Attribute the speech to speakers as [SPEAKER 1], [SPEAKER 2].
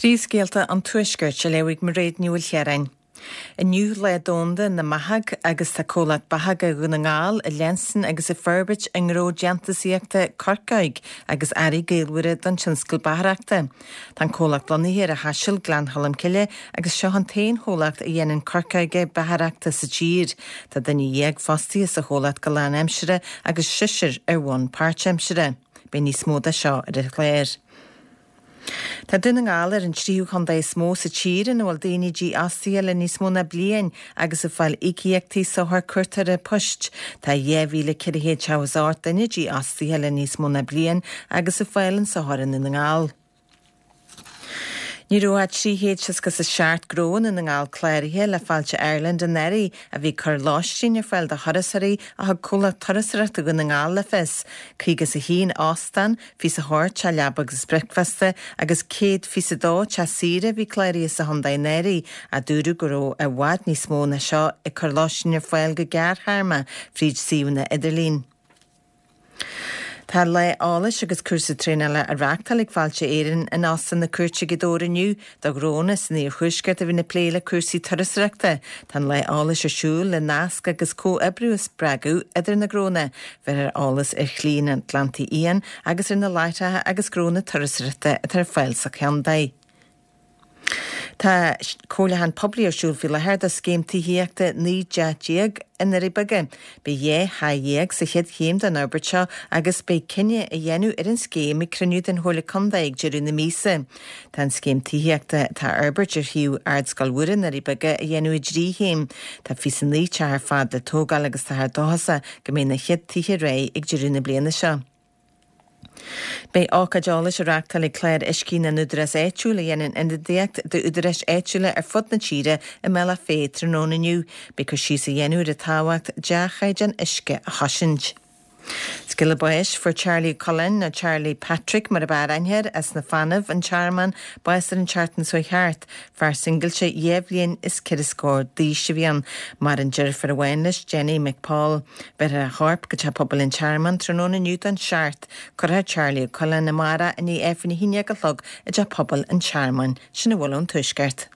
[SPEAKER 1] Príomhscéalta an Tuaiscirt á léamh ag Mairéad Ní Mhaoilchiaráin. Inniu Lá Domhanda na mBathach agus tá comhlacht Bathacha Dhún na nGall ag leanstan agus ag forbairt a ngnó déantúsaíochta coirceog agus earraí gaolmhara don tionscal bathrachta. Tá an comhlacht lonnaithe ar an Chaiseal, Gleann Cholm Cille agus seo an t-aon chomhlacht a dhéanann coirceoga beathaireachta sa tír. Tá duine dhéag fostaithe sa chomhlacht go lánaimseartha agus seisear ar bhonn páirtaimseartha. Beidh níos mó de seo ar an chlár. Tá Dún na nGall ar an tríú chontae is mó sa tír ina bhfuil daoine dífhostaithe le níos mó ná bliain agus ag fáil íocaíochtaí sochar cuartóra poist. Tá 2,478 duine dífhostaithe le níos mó ná bliain agus ag fáil an tsochair i nDún na nGall. Ní raibh ach 367 gnó i nDún na nGall cláraithe le Fáilte Ireland anuraidh a bhí ag cur lóistín ar fáil do thurasóirí a thug Comhlacht Turasóireachta Dhún na nGall le fios. 51 óstán, 28 teach leaba agus bricfeasta agus 122 teach saoire a bhí cláraithe sa chontae anuraidh, ach dúradh go raibh i bhfad níos mó ná seo ag cur lóistín ar fáil go gearrthéarma fríd suíomhanna idirlín. Tá lá eolais agus cúrsa traenála á reáchtáil ag Fáilte Éireann in Óstán na Cúirte Gaoth Dobhair inniu do ghnónna san iarthuaisceart a bhíonn ag plé le cúrsaí turasóireachta. Tá an lá eolais ar siúl le nasc agus comhoibriú a spreagadh idir na gnónna. Bheirfear eolas ar Shlí an Atlantaigh Fhiáin agus ar na láithreacha agus gnónna turasóireachta atá ar fáil sa chontae. Tá comhairliúchán poiblí ar siúl faoi láthair do scéim tithíochta 19 dteach i nDoirí Beaga. Beidh 12 theach sa chéad chéim den fhorbairt seo agus beidh cinneadh á dhéanamh ar an scéim ag cruinniú den Chomhairle Contae ag deireadh na míosa. Tá an scéim tithíochta atá á fhorbairt ar shuíomh Ardscoil Mhuire i nDoirí Beaga á dhéanamh i dtrí chéim. Tá 29 teach ar fad le tógáil agus táthar dóchasach go mbeidh na chéad tithe réidh ag deireadh na bliana seo. Beidh ócáid eolais á reáchtáil ag Clár Uiscí na nÚdarás Áitiúil a dhéanann ionadaíocht d'údaráis áitiúla ar fud na tíre i mBealach Féich tráthnóna inniu. Beidh cur síos á dhéanamh ar an tábhacht dea-chaighdeán uisce a chosaint. Scéala báis, Fuair Charlie Ó Coileáin, nó Charlie Patrick mar ab fhearr aithne air, as na Fanaibh, an Tearmann, bás ar an tseachtain seo chuaigh thart. Fear singilte dhá bhliain is ceithre scór d'aois a bhí ann. Maireann deirfiúr amháin leis, Jenny McPaul. Bhéarfar a chorp go Teach Pobail an Tearmainn tráthnóna inniu don seacht. Cuirfear Charlie Ó Coileáin amárach i ndiaidh Aifreann a haon dhéag a chlog i dTeach Pobail an Tearmainn. Sin a bhfuil ón Tuaisceart.